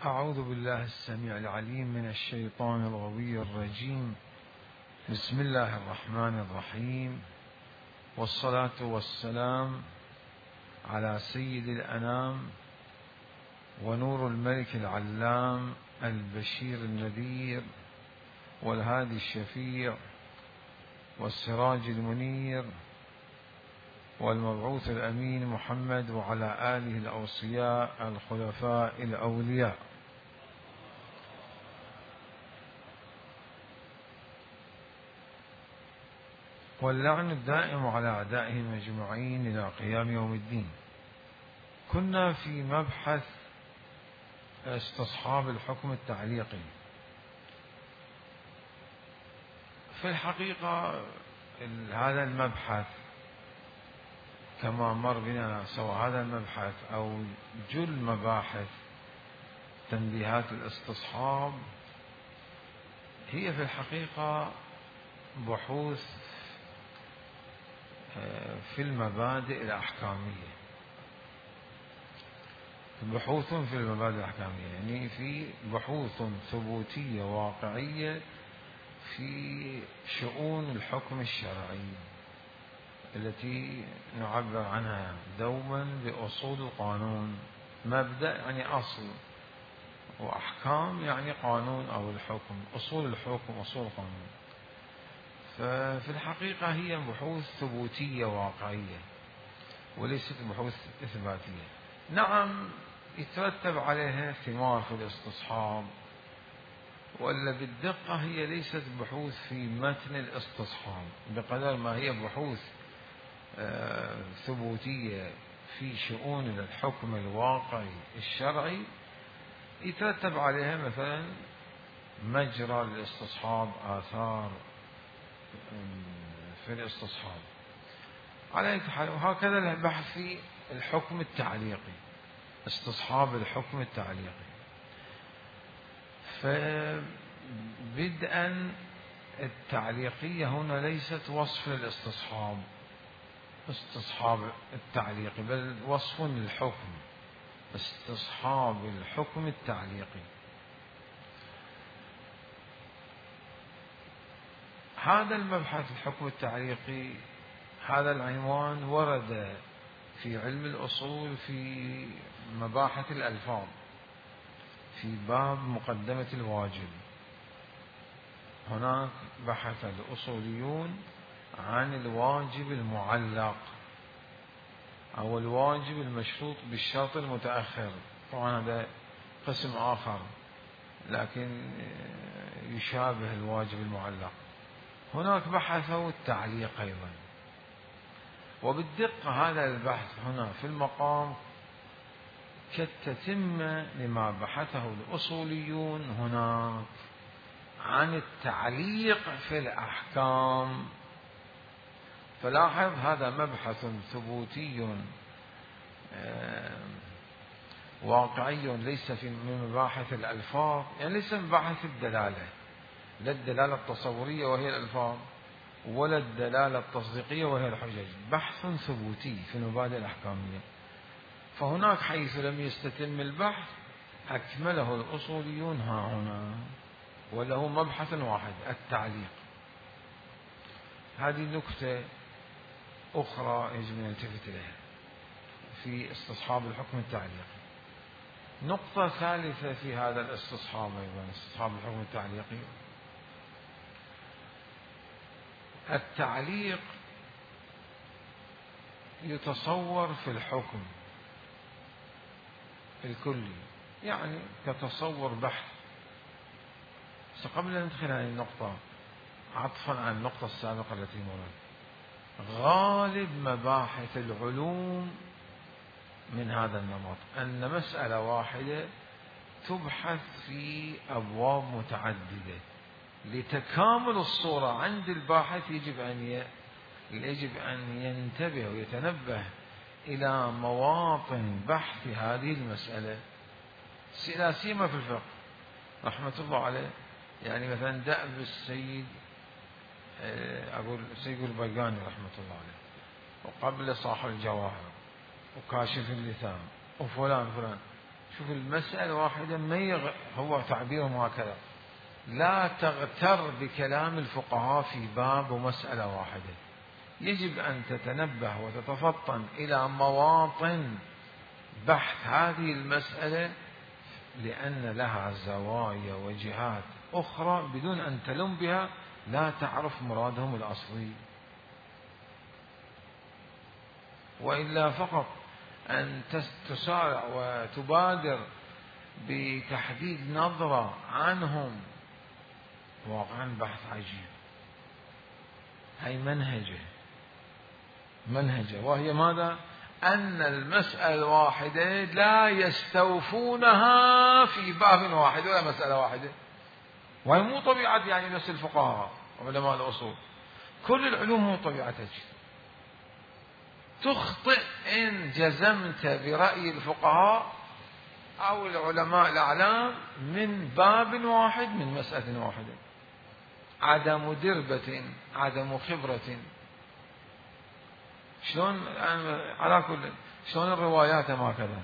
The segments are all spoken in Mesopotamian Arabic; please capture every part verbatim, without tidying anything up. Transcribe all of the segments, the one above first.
أعوذ بالله السميع العليم من الشيطان الغوي الرجيم. بسم الله الرحمن الرحيم، والصلاة والسلام على سيد الأنام ونور الملك العلام البشير النذير والهادي الشفيع والسراج المنير والمبعوث الأمين محمد وعلى آله الأوصياء الخلفاء الأولياء. واللعن الدائم على أعدائهم أجمعين إلى قيام يوم الدين. كنا في مبحث استصحاب الحكم التعليقي. في الحقيقة هذا المبحث كما مر بنا سواء هذا المبحث أو جل مباحث تنبيهات الاستصحاب هي في الحقيقة بحوث في المبادئ الأحكامية، بحوث في المبادئ الأحكامية يعني في بحوث ثبوتية واقعية في شؤون الحكم الشرعي التي نعبر عنها دوما بأصول القانون. مبدأ يعني أصل، وأحكام يعني قانون أو الحكم، أصول الحكم أصول القانون. ففي الحقيقة هي بحوث ثبوتية واقعية وليست بحوث إثباتية. نعم يترتب عليها ثمار في الاستصحاب، ولا بالدقة هي ليست بحوث في متن الاستصحاب بقدر ما هي بحوث آه ثبوتية في شؤون الحكم الواقعي الشرعي يترتب عليها مثلا مجرى الاستصحاب، آثار في الاستصحاب على أي حال. وهكذا البحث في الحكم التعليقي، استصحاب الحكم التعليقي. فبدءا التعليقية هنا ليست وصف للاستصحاب استصحاب التعليقي، بل وصف للحكم، استصحاب الحكم التعليقي. هذا المبحث الحكم التعليقي، هذا العنوان ورد في علم الأصول في مباحث الألفاظ في باب مقدمة الواجب. هناك بحث الأصوليون عن الواجب المعلق أو الواجب المشروط بالشرط المتأخر، طبعا هذا قسم آخر لكن يشابه الواجب المعلق. هناك بحثوا التعليق أيضا، وبالدقة هذا البحث هنا في المقام كالتتمة لما بحثه الأصوليون هناك عن التعليق في الأحكام. فلاحظ هذا مبحث ثبوتي واقعي ليس في من مباحث الألفاظ، يعني ليس من مباحث الدلالة، لا الدلالة التصورية وهي الألفاظ ولا الدلالة التصديقية وهي الحجج، بحث ثبوتي في المبادئ الأحكامية. فهناك حيث لم يستتم البحث أكمله الأصوليون ها هنا، وله مبحث واحد التعليق. هذه نكتة أخرى يجب أن نلتفت إليها في استصحاب الحكم التعليقي. نقطة ثالثة في هذا الاستصحاب أيضا، استصحاب الحكم التعليقي، التعليق يتصور في الحكم الكلي، يعني كتصور بحث. بس قبل أن ندخل هذه النقطة عطفا على النقطة السابقة التي مرت، غالب مباحث العلوم من هذا النمط أن مسألة واحدة تبحث في أبواب متعددة. لتكامل الصورة عند الباحث يجب أن يجب أن ينتبه ويتنبه إلى مواطن بحث هذه المسألة، لا سيما في الفقه رحمة الله عليه. يعني مثلا دأب السيد أقول السيد البيقاني رحمة الله عليه، وقبل صاحب الجواهر وكاشف اللثام وفلان فلان، شوف المسألة واحدة ما يغ... هو تعبيرهم هكذا: لا تغتر بكلام الفقهاء في باب ومسألة واحدة، يجب أن تتنبه وتتفطن إلى مواطن بحث هذه المسألة، لأن لها زوايا وجهات أخرى بدون أن تلم بها لا تعرف مرادهم الأصلي. وإلا فقط أن تسارع وتبادر بتحديد نظرة عنهم، واقعا بحث عجيب. هي منهجه منهجه وهي ماذا؟ أن المسألة الواحدة لا يستوفونها في باب واحد ولا مسألة واحدة، وهي مو طبيعة يعني نفس الفقهاء وعلماء الأصول، كل العلوم مو طبيعتك. تخطئ إن جزمت برأي الفقهاء أو العلماء الأعلام من باب واحد من مسألة واحدة. عدم دربة، عدم خبرة. شلون على كل شلون الروايات هكذا،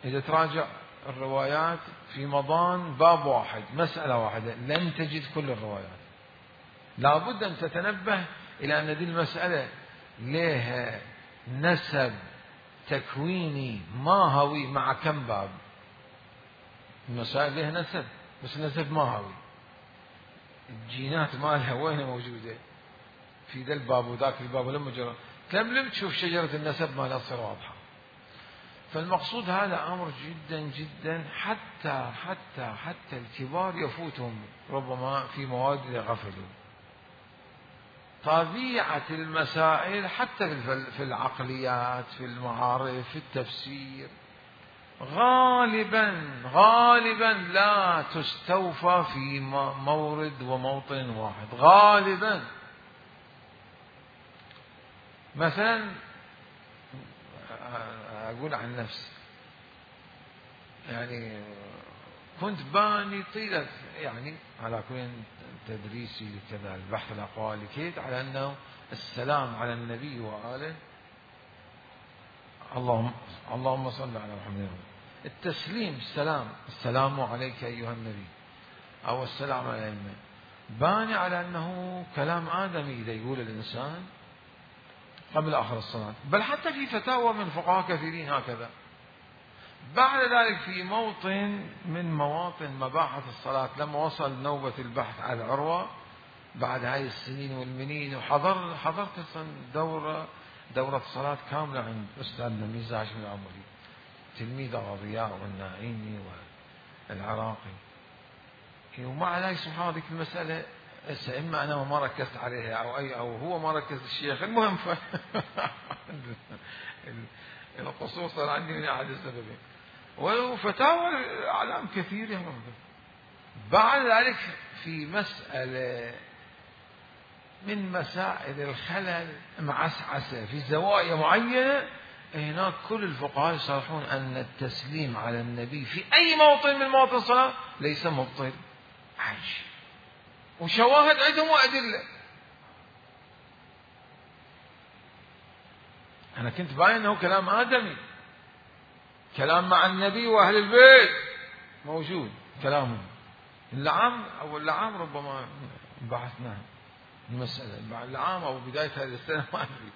إذا تراجع الروايات في مضان باب واحد مسألة واحدة لن تجد كل الروايات. لا بد أن تتنبه إلى أن هذه المسألة لها نسب تكويني ماهوي مع كم باب. المسائل لها نسب، بس نسب ماهوي، الجينات مالها وين موجودة في ذا الباب وذاك الباب، ولما جرى تلملم تشوف شجرة النسب مالها تصير واضحة. فالمقصود هذا أمر جدا جدا، حتى حتى حتى الكبار يفوتهم ربما في مواد غفلوا. طبيعة المسائل حتى في العقليات، في المعارف، في التفسير، غالبا غالبا لا تستوفى في مورد وموطن واحد غالبا. مثلا أقول عن نفسي، يعني كنت باني طيلة يعني على كل تدريسي لكذا البحث الأقوال كيت على أنه السلام على النبي وآله، اللهم اللهم صل على محمد، التسليم السلام، السلام عليك أيها النبي أو السلام على الأئمة، باني على أنه كلام آدمي إذا يقول الإنسان قبل آخر الصلاة، بل حتى في فتاوى من فقهاء كثيرين هكذا. بعد ذلك في موطن من مواطن مباحث الصلاة، لما وصل نوبة البحث على عروة بعد هاي السنين والمنين، وحضر حضرت دورة دورة صلاة كاملة عند أستاذنا ميزة هاشم العمري، تلميذ الضياء والناعيمي والعراقي. ومع ذلك سبحان الله المسألة إما أنا ما ركزت عليها أو أي أو هو ما ركز الشيخ، المهم ف... القصور صار عندي من أحد السببين، وفتاوى أعلام كثيرة. بعد ذلك في مسألة من مسائل الخلل معسعسة في زوايا معينة، هناك كل الفقهاء يصرحون أن التسليم على النبي في أي موطن من مواطن الصلاة ليس مبطل. عايش وشواهد عندهم وأدلة. أنا كنت باين أنه كلام آدمي، كلام مع النبي وأهل البيت موجود كلامهم. اللعام أو اللعام ربما بحثنا المسألة اللعام أو بداية هذه السنة ما أدري،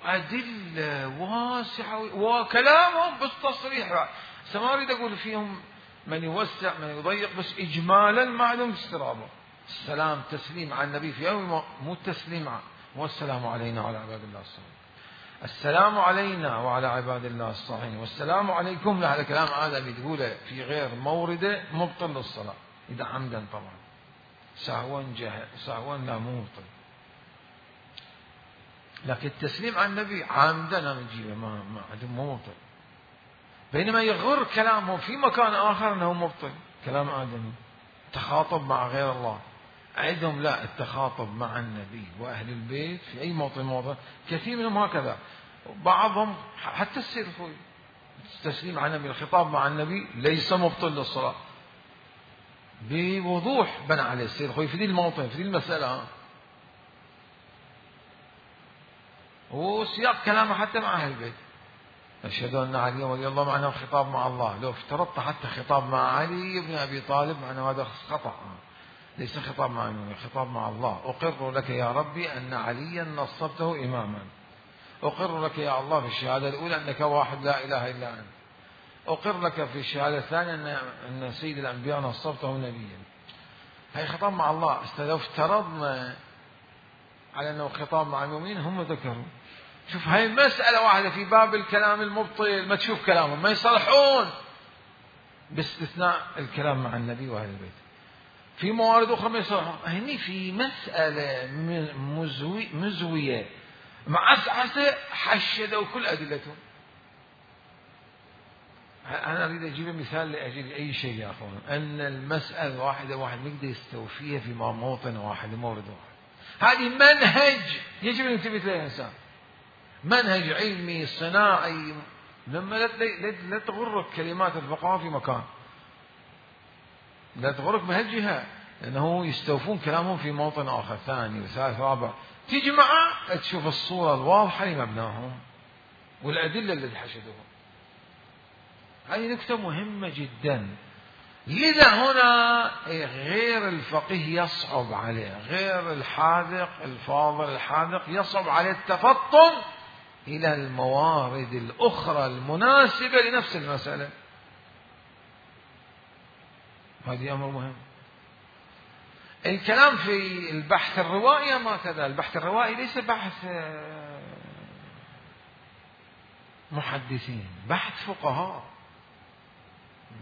أدلة واسعة وكلامهم بس تصريح. ما أريد أقول فيهم من يوسع من يضيق، بس إجمالا معلوم استرابه. السلام تسليم على النبي في يوم، مو التسليم والسلام علينا وعلى عباد الله الصالحين، السلام علينا وعلى عباد الله الصالحين والسلام عليكم. هذا كلام آدمي تقوله في غير مورده مبطل للصلاة إذا عمدا، طبعا سهوا جهل سهوا لا مو مبطل. لكن التسليم على النبي عامدا أنا نجيبه ما ما عندهم مو مبطل، بينما يغر كلامه في مكان آخر أنه مبطل، كلام آدمي تخاطب مع غير الله. عندهم لا، التخاطب مع النبي وأهل البيت في أي موطن موطن، كثير منهم هكذا. بعضهم حتى السيد الخوي التسليم على النبي، الخطاب مع النبي ليس مبطل للصلاة، بوضوح بنى عليه السيد الخوي في ذي الموطن في ذي المسألة، وسياق كلامه حتى مع أهل البيت. أشهد أن علي ولي الله معناه خطاب مع الله. لو افترضت حتى خطاب مع علي بن أبي طالب معناه هذا خطأ، ليس خطاب مع المؤمن، خطاب مع الله. أقر لك يا ربي أن عليا نصبته إماما، أقر لك يا الله في الشهادة الأولى أنك واحد لا إله إلا أنت، أقر لك في الشهادة الثانية أن سيد الأنبياء نصبته نبيا. هي خطاب مع الله. لو افترضنا على أنه خطاب مع المؤمنين هم ذكروا. شوف هاي مسألة واحدة في باب الكلام المبطل، ما تشوف كلامهم ما يصلحون باستثناء الكلام مع النبي وأهل البيت. في موارد أخرى ما يصلحون. هني في مسألة مزوي مزوية معسعسة حشدوا كل أدلتهم. أنا أريد أجيب مثال لأجل أي شيء يا أخوان، أن المسألة واحدة واحد يقدر يستوفيها في موطن واحد مورد واحد. هذه منهج يجب أن ينتبه له الإنسان، منهج علمي صناعي. لما لا تغرك كلمات الفقهاء في مكان، لا تغرك بهالجهة، لأنه يستوفون كلامهم في موطن آخر ثاني وثالث رابع. تيجي معه تشوف الصورة الواضحة لمبناهم والأدلة التي حشدوها. هذه نكتة مهمة جدا. لذا هنا غير الفقيه يصعب عليه، غير الحاذق الفاضل الحاذق يصعب عليه التفطن إلى الموارد الأخرى المناسبة لنفس المسألة. هذه أمر مهم. الكلام في البحث الروائي ما كذا. البحث الروائي ليس بحث محدثين، بحث فقهاء.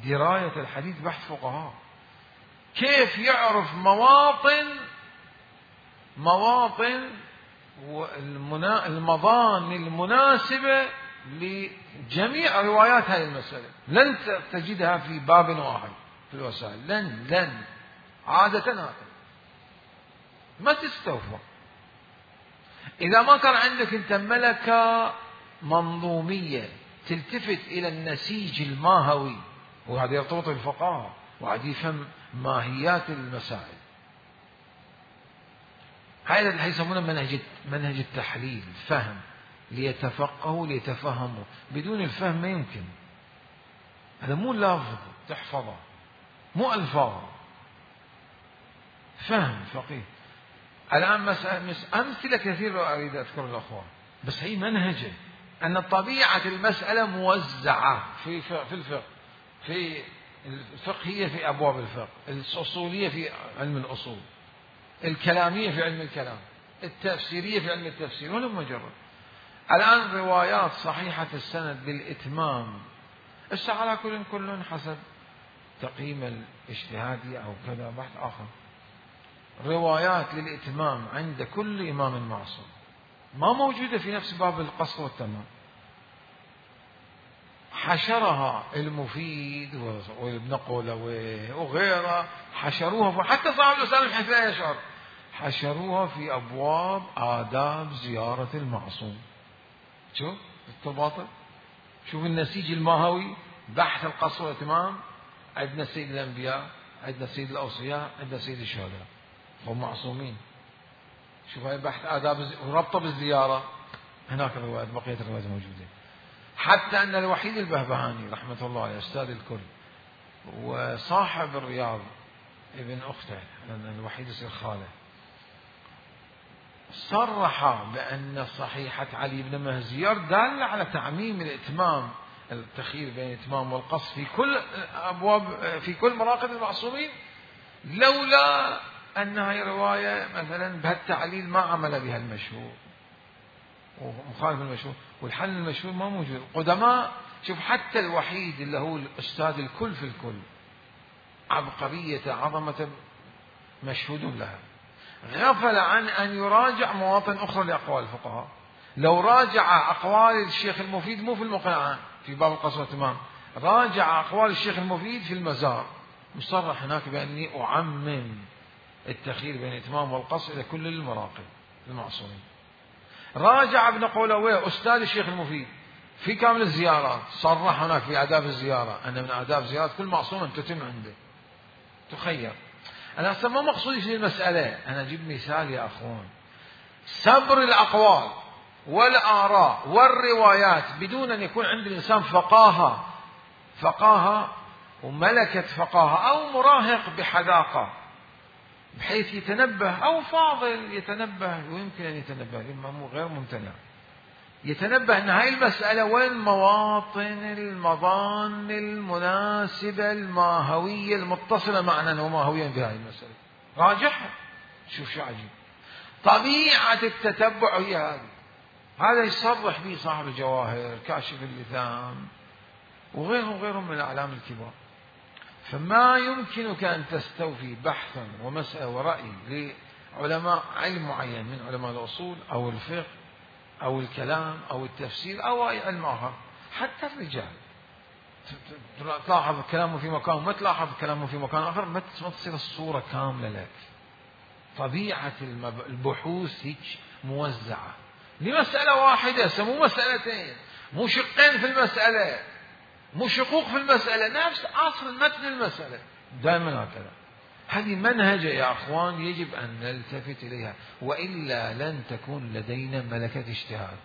دراية الحديث بحث فقهاء. كيف يعرف مواطن مواطن المضان المناسبة لجميع روايات هذه المسألة. لن تجدها في باب واحد في الوسائل، لن لن عادة هكذا ما تستوفى. إذا ما كان عندك أنت ملكة منظومية تلتفت إلى النسيج الماهوي، وهذا يرتبط بالفقهاء وهذا يفهم ماهيات المسائل. هذا اللي يسمونه منهج منهج التحليل، فهم، ليتفقهوا ليتفهموا. بدون الفهم ما يمكن. هذا مو لفظ تحفظه، مو ألفاظ، فهم فقيه. الآن مسألة أمثلة كثيرة أريد أذكر الأخوان، بس هي منهجة أن طبيعة المسألة موزعة في في الفقه، في الفقهية في أبواب الفقه، الأصولية في علم الأصول، الكلامية في علم الكلام، التفسيرية في علم التفسير، ولم مجرد. الآن روايات صحيحة السند بالإتمام، إيش على كل كل حسب تقييم الاجتهادي أو كذا بحث آخر. روايات للإتمام عند كل إمام معصوم ما موجودة في نفس باب القصر والتمام. حشرها المفيد وابن قولويه وغيره، حشروها حتى صاحب الأسلام بحيث لا يشعر، حشروها في أبواب آداب زيارة المعصوم. شوف التباطل، شوف النسيج الماهوي. بحث القصر والإتمام عندنا سيد الأنبياء، عندنا سيد الأوصياء، عندنا سيد الشهداء، هم معصومين. شوف هاي بحث آداب وربطه بالزيارة، هناك الروايات بقية الروايات موجودة. حتى أن الوحيد البهبهاني رحمة الله عليه أستاذ الكل وصاحب الرياض ابن أخته، لأن الوحيد يصير خاله، صرح بأن صحيحة علي بن مهزيار دالة على تعميم الإتمام، التخيير بين الإتمام والقصر في كل أبواب في كل مراقد المعصومين، لولا أنها رواية مثلا بهالتعليل ما عمل بها المشهور ومخالف المشهور، والحل المشهور ما موجود. القدماء شوف حتى الوحيد اللي هو الأستاذ الكل في الكل، عبقرية عظمة مشهود لها، غفل عن أن يراجع مواطن أخرى لأقوال الفقهاء. لو راجع أقوال الشيخ المفيد مو في المقنعة في باب القصر والإتمام، راجع أقوال الشيخ المفيد في المزار، مصرح هناك بأني أعمم التخيير بين الإتمام والقصر إلى كل المراقب المعصومين. راجع ابن قولويه أستاذ الشيخ المفيد في كامل الزيارات، صرح هناك في آداب الزيارة أن من آداب زيارة كل معصوم أن تتم عنده، تخير. أنا أصلا ما مقصودي في المسألة، أنا أجيب مثال يا أخوان. سبر الأقوال والآراء والروايات بدون أن يكون عند الإنسان فقاهة فقاهة وملكة فقاهة أو مراهق بحذاقة بحيث يتنبه أو فاضل يتنبه ويمكن أن يتنبه غير ممتنع يتنبه أن هاي المسألة وين مواطن المظان المناسبة الماهوية المتصلة معنا وماهويا بهاي المسألة راجعها. شوف شو عجيب طبيعة التتبع هي هذه. هذا يصرح به صاحب الجواهر كاشف اللثام وغيرهم وغيرهم من الأعلام الكبار. فما يمكنك أن تستوفي بحثا ومسألة ورأي لعلماء علم معين من علماء الأصول أو الفقه أو الكلام أو التفسير أو أي علم آخر حتى الرجال تلاحظ كلامه في مكان وما تلاحظ كلامه في مكان آخر ما تصير الصورة كاملة لك. طبيعة البحوث هيك موزعة لمسألة واحدة مو مسألتين مو شقين في المسألة مو شقوق في المسألة نفس أصل متن المسألة دائما هكذا. هذه منهجة يا أخوان يجب أن نلتفت إليها وإلا لن تكون لدينا ملكة اجتهاد.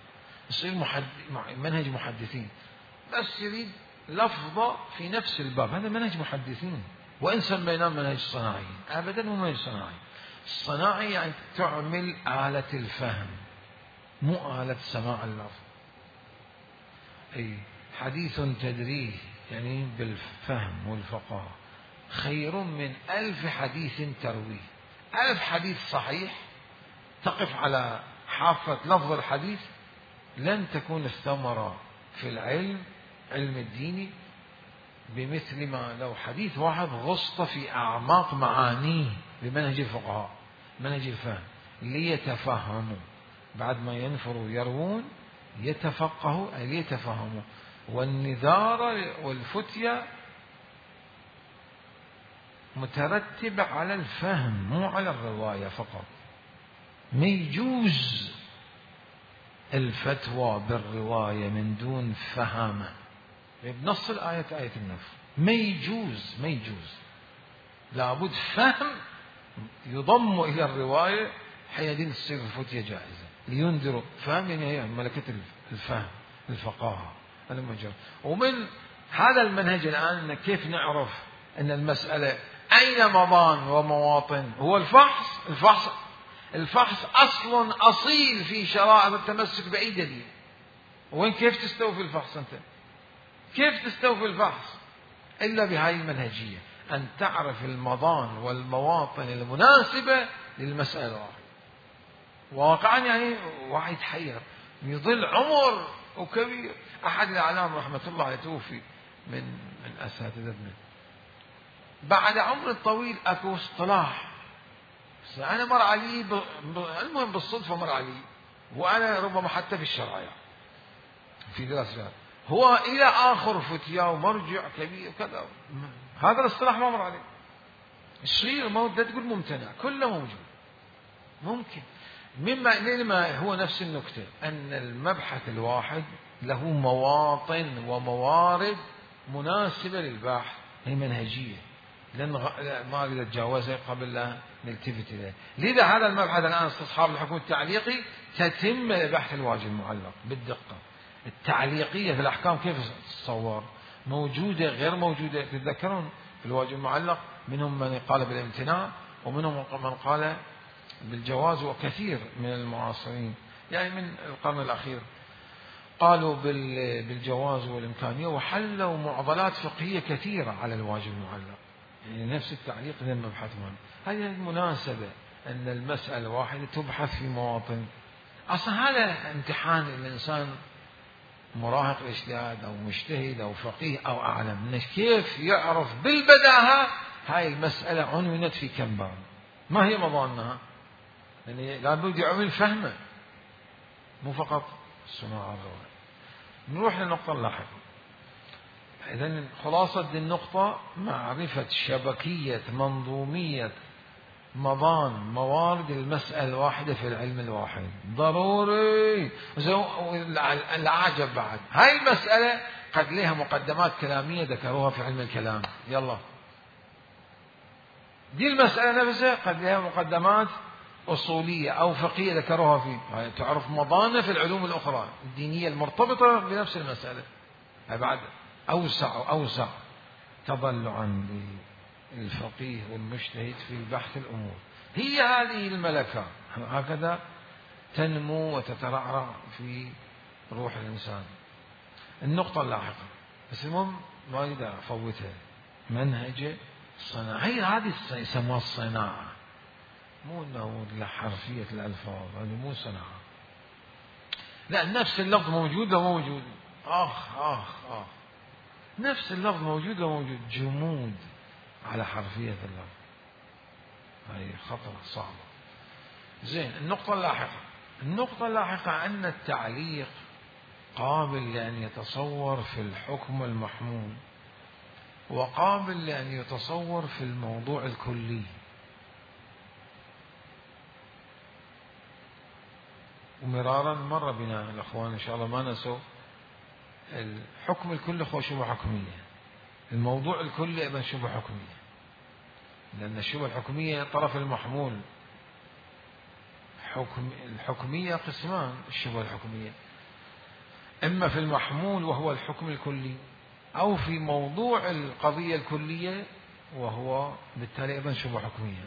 يصير محد... منهج محدثين بس يريد لفظة في نفس الباب. هذا منهج محدثين وإن سميناه منهج صناعي أبدا مو منهج صناعي. الصناعي يعني تعمل آلة الفهم مو آلة سماع اللفظ. أي حديث تدريه يعني بالفهم والفقه خير من ألف حديث ترويه. ألف حديث صحيح تقف على حافة لفظ الحديث لن تكون الثمرة في العلم علم الديني بمثل ما لو حديث واحد غصت في أعماق معانيه بمنهج الفقهاء منهج الفهم ليتفهموا بعد ما ينفروا يروون يتفقهوا أي ليتفهموا. والنذارة والفتية مترتبة على الفهم مو على الرواية فقط. ما يجوز الفتوى بالرواية من دون فهم بنص الآية آية النفي ما يجوز ما يجوز لابد فهم يضم إلى الرواية حينئذ تصير الفتية جائزة لينذروا. فهم يعني هي ملكة الفهم الفقاهة المجرد. ومن هذا المنهج الآن كيف نعرف أن المسألة أين مضان ومواطن هو الفحص. الفحص الفحص أصل أصيل في شرائع التمسك بأي دليل. وين كيف تستوفي الفحص أنت كيف تستوفي الفحص إلا بهذه المنهجية أن تعرف المضان والمواطن المناسبة للمسألة الواحدة. واقعا يعني واحد حير يظل عمر وكبير. أحد الأعلام رحمة الله عليه توفي من من أساتذتنا بعد عمر طويل أكو اصطلاح أنا مر علي ب... ب... المهم بالصدفة مر علي وأنا ربما حتى في الشرائع في دراسة هو إلى آخر فتيا ومرجع كبير وكذا. هذا الاصطلاح ما مر عليه. الشيء ما ودي تقول ممتنع كله موجود ممكن مما لما هو نفس النكتة أن المبحث الواحد له مواطن وموارد مناسبة للبحث. هي منهجية لن غ... ما أريد أتجاوزها قبل لا نلتفت إليه. لذا هذا المبحث الآن استصحاب الحكم التعليقي تتم لبحث الواجب المعلق بالدقة. التعليقية في الأحكام كيف تتصور موجودة غير موجودة. تتذكرون في الواجب المعلق منهم من قال بالامتناع ومنهم من قال بالجواز وكثير من المعاصرين يعني من القرن الأخير قالوا بالجواز والإمكانية وحلوا معضلات فقهية كثيرة على الواجب المعلق. يعني نفس التعليق لما مبحثهم هذه المناسبة أن المسألة واحدة تبحث في مواطن. أصلا هذا امتحان الإنسان مراهق الاجتهاد أو مجتهد أو فقيه أو أعلم كيف يعرف بالبداهة هاي المسألة عنونت في كم باب ما هي مضانها. يعني لابد يعمل فهمه مو فقط سماع الرواية. نروح للنقطة اللاحقة. إذن خلاصة النقطة معرفة شبكية منظومية مضان موارد المسألة الواحدة في العلم الواحد ضروري. العجب بعد هاي المسألة قد لها مقدمات كلامية ذكروها في علم الكلام. يلا دي المسألة نفسها قد لها مقدمات أصولية أو فقهية ذكروها فيه، تعرف مضانة في العلوم الأخرى الدينية المرتبطة بنفس المسألة، بعد أوسع وأوسع تضلعا للفقيه والمجتهد في بحث الأمور. هي هذه الملكة هكذا تنمو وتترعرع في روح الإنسان. النقطة اللاحقة، بس المهم ما أريد أفوتها، منهج الصناعة. هي هذه يسموها الصناعة، مو انه لحرفية الألفاظ، هذه مو صناعة. لا، نفس اللفظ موجود وموجود، آخ آخ آخ نفس اللفظ موجود وموجود، جمود على حرفية اللفظ، هذه خطرة صعبة. زين، النقطة اللاحقة، النقطة اللاحقة أن التعليق قابل لأن يتصور في الحكم المحمول، وقابل لأن يتصور في الموضوع الكلي. ومرارا مر بنا الأخوان إن شاء الله ما نسوا، الحكم الكلي هو شبه حكمية، الموضوع الكلي أيضا شبه حكمية، لأن الشبه الحكمية طرف المحمول. حكم الحكمية قسمان، الشبه الحكمية إما في المحمول وهو الحكم الكلي، أو في موضوع القضية الكلية وهو بالتالي أيضا شبه حكمية.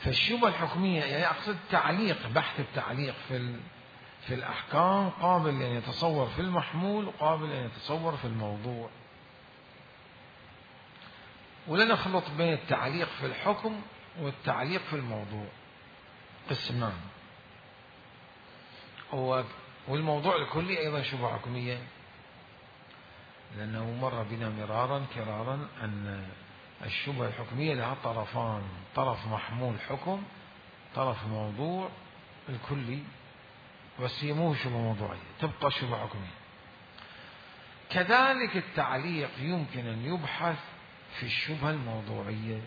فالشبه الحكمية يعني أقصد تعليق، بحث التعليق في في الأحكام قابل أن يتصور في المحمول وقابل أن يتصور في الموضوع. ولا نخلط بين التعليق في الحكم والتعليق في الموضوع، قسمان. والموضوع الكلي أيضا شبه حكمية، لأنه مر بنا مرارا كرارا أن الشبه الحكمية لها طرفان، طرف محمول حكم، طرف موضوع الكلي، بس هي مو شبه موضوعية، تبقى شبه حكمية. كذلك التعليق يمكن أن يبحث في الشبهة الموضوعية،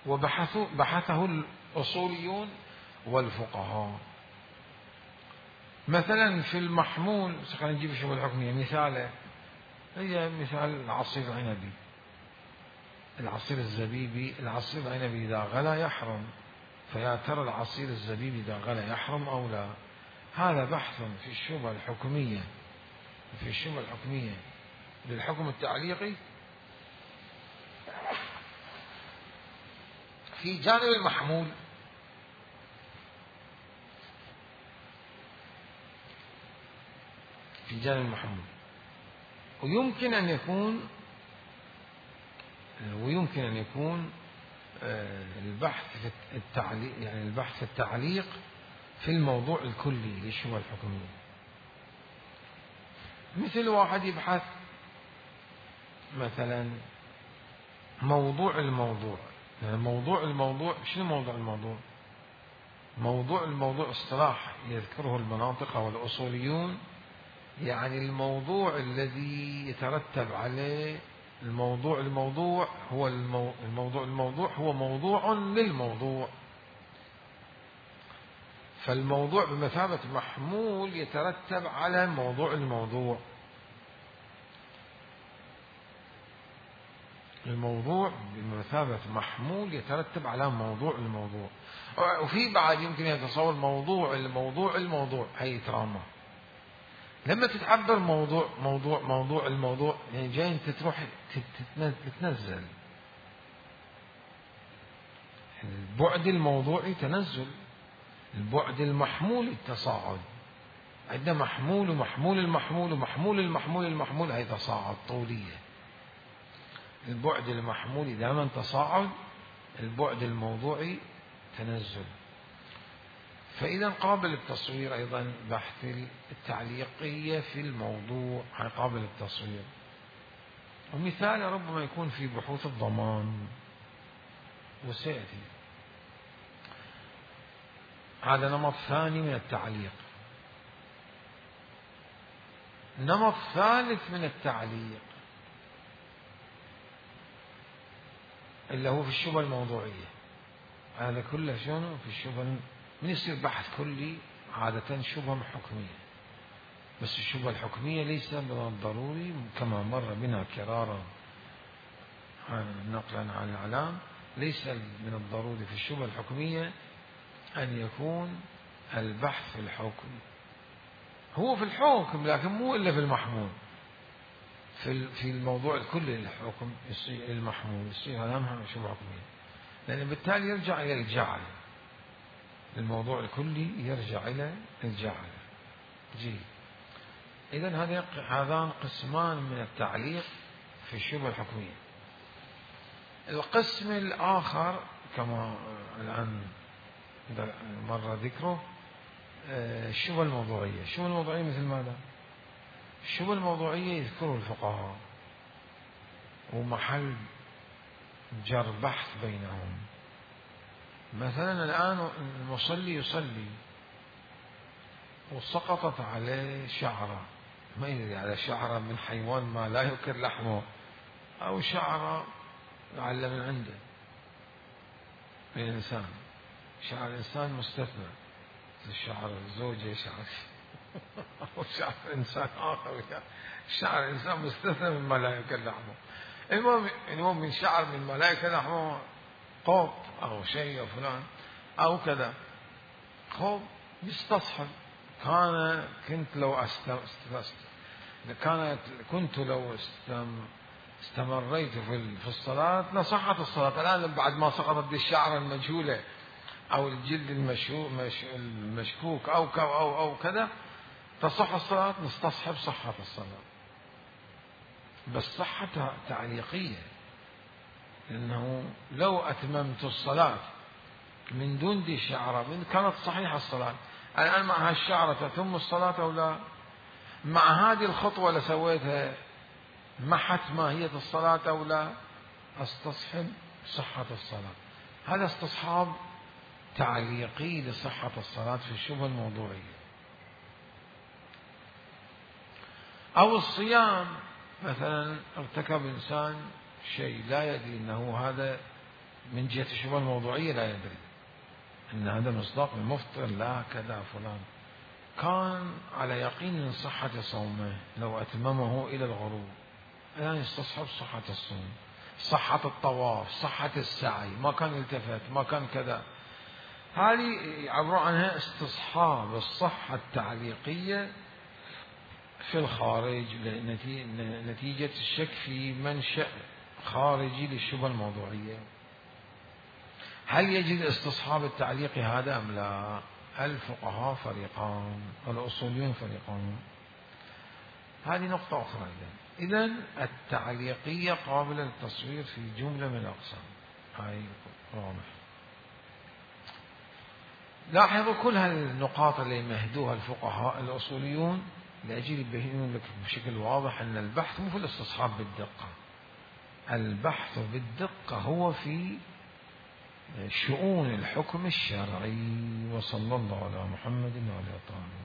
وبحثوا بحثه الأصوليون والفقهاء. مثلا في المحمول، خلينا نجيب الشبهة الحكمية مثاله، هي مثال العصير العنبي، العصير الزبيبي، العصير العنبي إذا غلى يحرم، فيا ترى العصير الزبيبي إذا غلى يحرم أو لا؟ هذا بحث في الشبهة الحكمية، في الشبهة الحكمية للحكم التعليقي في جانب المحمول. في جانب المحمول ويمكن أن يكون ويمكن أن يكون البحث في التعليق، يعني البحث في التعليق في الموضوع الكلي للشبهة الحكمية. مثل واحد يبحث مثلا موضوع الموضوع، يعني موضوع الموضوع، شنو موضوع الموضوع؟ موضوع الموضوع اصطلاح يذكره المناطق والأصوليون، يعني الموضوع الذي يترتب عليه الموضوع الموضوع هو المو... الموضوع الموضوع هو موضوع للموضوع، فالموضوع بمثابة محمول يترتب على موضوع الموضوع. الموضوع بمثابة محمول يترتب على موضوع الموضوع. وفي بعد يمكن يتصور موضوع الموضوع الموضوع، هي تراما لما تتعبر موضوع موضوع موضوع الموضوع، يعني جاي انت تروح تتنزل، البعد الموضوعي تنزل، البعد المحمول التصاعد. عندنا محمول ومحمول المحمول ومحمول المحمول المحمول، هي تصاعد طولية. البعد المحمولي دائما تصاعد، البعد الموضوعي تنزل. فإذا قابل التصوير أيضا بحث التعليقية في الموضوع قابل التصوير. ومثال ربما يكون في بحوث الضمان، وسيأتي هذا نمط ثاني من التعليق. نمط ثالث من التعليق اللي هو في الشبهة الموضوعية. هذا كله شنو في الشبهة؟ من يصير بحث كلي عادة شبهة حكمية، بس الشبهة الحكمية ليس من الضروري كما مر بنا كرارا نقلا عن الإعلام ليس من الضروري في الشبهة الحكمية أن يكون البحث في الحكم، هو في الحكم لكن مو إلا في المحمول، في في الموضوع الكلي للحكم يصير المحمول يصير هذا شبهة حكمية، لأن بالتالي يرجع إلى الجعل، الموضوع الكلي يرجع إلى الجعل. جيد. إذن هذان قسمان من التعليق في الشبهة الحكمية. القسم الآخر كما الآن مر ذكره الشبهة الموضوعية. الشبهة الموضوعية مثل ماذا؟ الشبهة الموضوعية يذكره الفقهاء ومحل جر بحث بينهم. مثلا الآن المصلي يصلي وسقطت عليه شعرة، ما يدري على شعرة من حيوان ما لا يؤكل لحمه أو شعرة لعل من عنده من الإنسان. شعر الإنسان مستثنى، شعر الزوجة شعر أو شعر إنسان آخر، شعر الإنسان مستثنى مما لا يؤكل لحمه. المهم المهم من شعر من ما لا يؤكل لحمه قوط أو شيء أو فلان أو كذا، خوب يستصحب. كان كنت لو أستم... كانت كنت لو استم... استمريت في في الصلاة لصحت الصلاة. الآن بعد ما سقطت الشعرة المجهولة أو الجلد المشو... مش... المشكوك أو ك... أو أو كذا تصح الصلاة، نستصحب صحة الصلاة، بس صحة تعليقية، لأنه لو أتممت الصلاة من دون دي الشعرة من كانت صحيحة الصلاة. الآن مع هالشعرة تتم الصلاة أو لا؟ مع هذه الخطوة اللي سويتها محت ماهية الصلاة أو لا؟ استصحب صحة الصلاة. هذا استصحاب تعليقي لصحة الصلاة في الشبهة الموضوعية. أو الصيام مثلا ارتكب إنسان شيء لا يدري أنه هذا من جهة الشبهة الموضوعية، لا يدري أن هذا مصداق المفطر لا كذا فلان، كان على يقين من صحة صومه لو أتممه إلى الغروب، الآن يستصحب صحة الصوم، صحة الطواف، صحة السعي، ما كان يلتفت، ما كان كذا. هذه يعبرون عنها استصحاب الصحة التعليقية في الخارج نتيجة الشك في منشأ خارجي للشبهة الموضوعية. هل يجد استصحاب التعليق هذا أم لا؟ الفقهاء فريقان والأصوليون فريقان. هذه نقطة أخرى. إذن التعليقية قابلة للتصوير في جملة من الأقسام. هاي واضح. لاحظوا كل هالنقاط اللي مهدوها الفقهاء الأصوليون لأجل يبينون لك بشكل واضح أن البحث مو في الاستصحاب بالدقة، البحث بالدقة هو في شؤون الحكم الشرعي. وصلى الله على محمد وعلى آله.